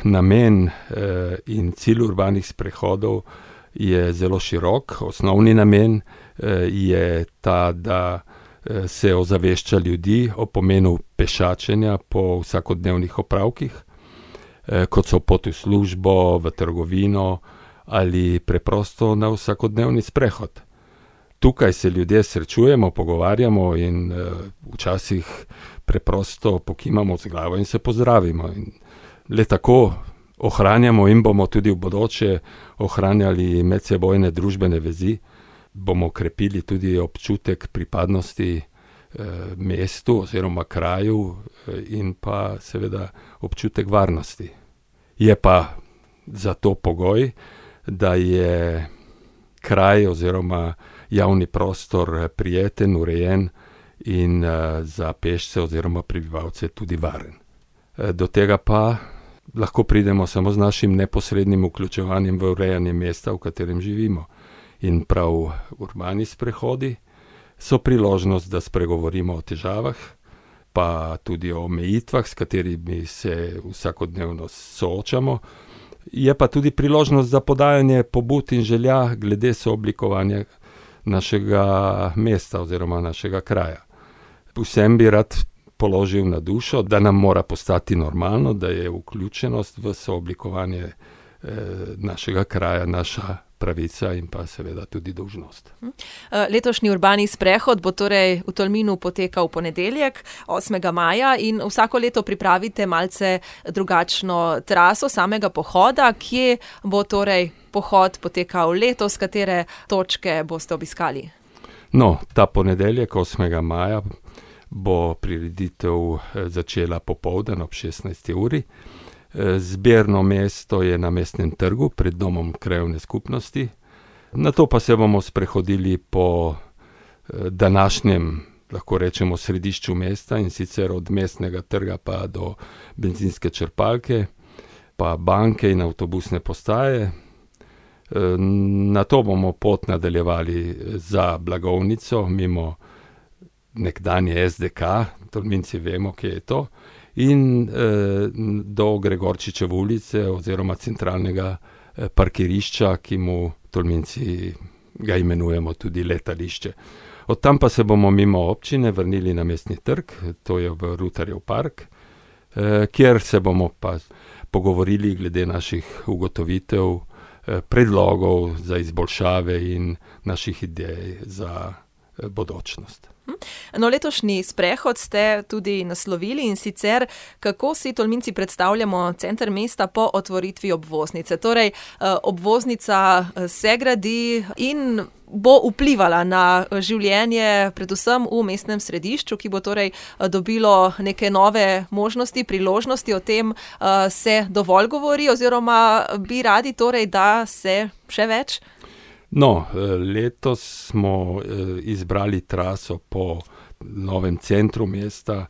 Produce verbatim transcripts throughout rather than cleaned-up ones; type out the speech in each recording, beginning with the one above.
namen eh, in cilj urbanih sprehodov je zelo širok. Osnovni namen eh, je ta, da eh, se ozavešča ljudi o pomenu pešačenja po vsakodnevnih opravkih, eh, kot so pot v službo, v trgovino ali preprosto na vsakodnevni sprehod. Tukaj se ljudje srečujemo, pogovarjamo in uh, včasih preprosto pokimamo z glavo in se pozdravimo. In le tako ohranjamo in bomo tudi v bodoče ohranjali medsebojne družbene vezi, bomo krepili tudi občutek pripadnosti uh, mestu oziroma kraju uh, in pa seveda občutek varnosti. Je pa za to pogoj, da je kraj oziroma javni prostor prijeten, urejen in uh, za pešce oziroma prebivalce tudi varen. Uh, do tega pa lahko pridemo samo z našim neposrednim vključevanjem v urejanje mesta, v katerem živimo. In prav urbani sprehodi so priložnost, da spregovorimo o težavah, pa tudi o omejitvah, s katerimi se vsakodnevno soočamo. Je pa tudi priložnost za podajanje pobud in želja glede sooblikovanja našega mesta oziroma našega kraja. Vsem bi rad položil na dušo, da nam mora postati normalno, da je vključenost v sooblikovanje eh, našega kraja naša pravica in pa seveda tudi dolžnost. Letošnji urbani sprehod bo torej v Tolminu potekal v ponedeljek, osmega maja, in vsako leto pripravite malce drugačno traso samega pohoda. Kje bo torej pohod potekal letos, katere točke boste obiskali? No, ta ponedeljek, osmega maja, bo prireditev začela popoldan ob šestnajsti uri. Zbirno mesto je na Mestnem trgu pred domom krajevne skupnosti. Nato pa se bomo sprehodili po današnjem, lahko rečemo, središču mesta, in sicer od Mestnega trga pa do bencinske črpalke, pa banke in avtobusne postaje. Nato bomo pot nadaljevali za Blagovnico, mimo nekdanje es de ka, Tolminci vemo, kje je to, in eh, do Gregorčičeve ulice oziroma centralnega eh, parkirišča, ki mu Tolminci ga imenujemo tudi letališče. Od tam pa se bomo mimo občine vrnili na Mestni trg, to je v Rutarjev park, eh, kjer se bomo pa pogovorili glede naših ugotovitev, eh, predlogov za izboljšave in naših idej za eh, bodočnost. No, letošnji sprehod ste tudi naslovili, in sicer kako si Tolminci predstavljamo center mesta po otvoritvi obvoznice. Torej, obvoznica se gradi in bo vplivala na življenje predvsem v mestnem središču, ki bo torej dobilo neke nove možnosti, priložnosti. O tem se dovolj govori, oziroma bi radi torej, da se še več? No, letos smo izbrali traso po novem centru mesta,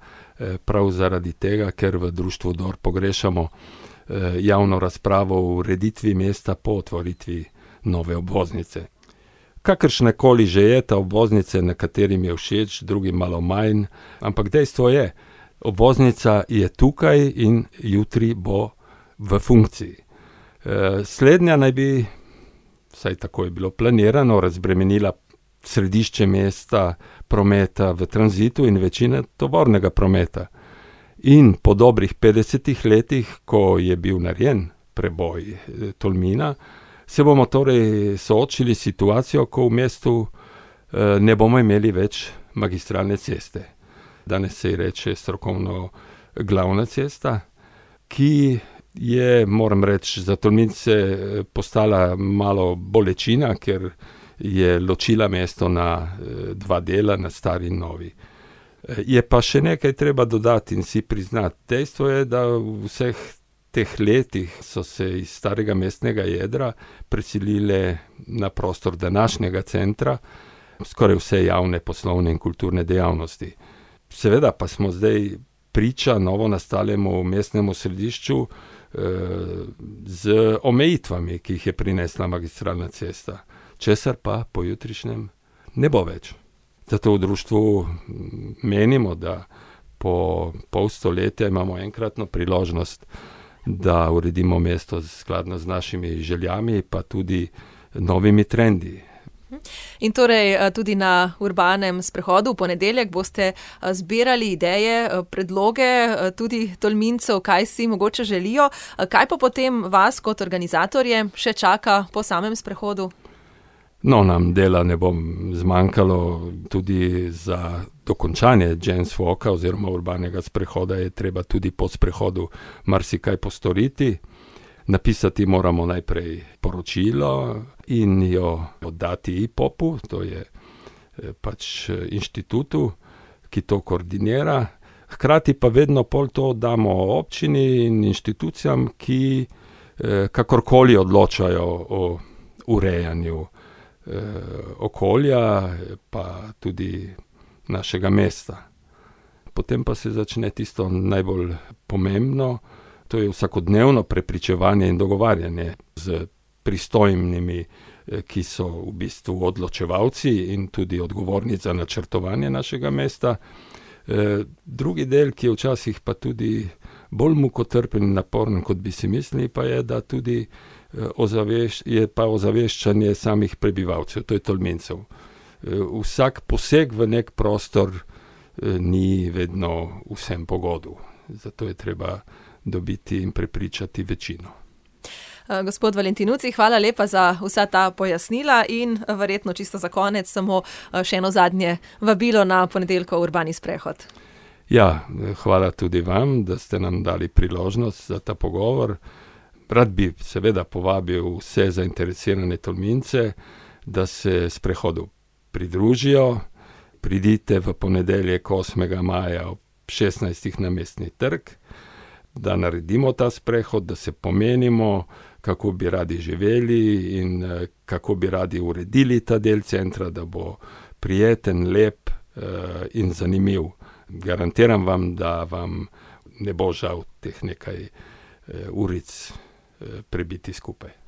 prav zaradi tega, ker v društvu Dor pogrešamo javno razpravo o ureditvi mesta po otvoritvi nove obvoznice. Kakršnekoli že je ta obvoznica, nekaterim je všeč, drugim malo manj, ampak dejstvo je, obvoznica je tukaj in jutri bo v funkciji. Slednja naj bi, vsaj tako je bilo planirano, razbremenila središče mesta, prometa v tranzitu in večine tovornega prometa. In po dobrih petdesetih letih, ko je bil narejen preboj Tolmina, se bomo torej soočili s situacijo, ko v mestu eh, ne bomo imeli več magistralne ceste. Danes se ji reče strokovno glavna cesta, ki je, moram reči, za Tolmince postala malo bolečina, ker je ločila mesto na dva dela, na stari in novi. Je pa še nekaj treba dodati in si priznati. Dejstvo je, da v vseh teh letih so se iz starega mestnega jedra preselile na prostor današnjega centra skoraj vse javne, poslovne in kulturne dejavnosti. Seveda pa smo zdaj priča novo nastalemu mestnemu središču z omejitvami, ki jih je prinesla magistralna cesta, česar pa pojutrišnjem ne bo več. Zato v društvu menimo, da po pol stoletja imamo enkratno priložnost, da uredimo mesto skladno z našimi željami, pa tudi novimi trendi. In torej tudi na urbanem sprehodu v ponedeljek boste zbirali ideje, predloge tudi Tolmincev, kaj si mogoče želijo. Kaj pa potem vas kot organizatorje še čaka po samem sprehodu? No, nam dela ne bo zmanjkalo tudi za dokončanje James Walka oziroma urbanega sprehoda je treba tudi po sprehodu marsikaj postoriti. Napisati moramo najprej poročilo in jo oddati I P O P-u, to je pač inštitutu, ki to koordinira. Hkrati pa vedno pol to damo občini in inštitucijam, ki kakorkoli odločajo o urejanju okolja, pa tudi našega mesta. Potem pa se začne tisto najbolj pomembno, to je vsakodnevno prepričevanje in dogovarjanje z pristojnimi, ki so v bistvu odločevalci in tudi odgovorni za načrtovanje našega mesta. Drugi del, ki je včasih pa tudi bolj mukotrpen in naporen, kot bi si mislili, pa je, da tudi ozaveš- je pa ozaveščanje samih prebivalcev, to je Tolmincev. Vsak poseg v nek prostor ni vedno vsem pogodu. Zato je treba dobiti in prepričati večino. Gospod Valentinucci, hvala lepa za vsa ta pojasnila in verjetno čisto za konec samo še eno zadnje vabilo na ponedeljkov urbani sprehod. Ja, hvala tudi vam, da ste nam dali priložnost za ta pogovor. Rad bi seveda povabil vse zainteresirane Tolmince, da se sprehodu pridružijo. Pridite v ponedeljek osmega maja ob šestnajstih na Mestni trg, da naredimo ta sprehod, da se pomenimo, kako bi radi živeli in kako bi radi uredili ta del centra, da bo prijeten, lep in zanimiv. Garantiram vam, da vam ne bo žal teh nekaj uric prebiti skupaj.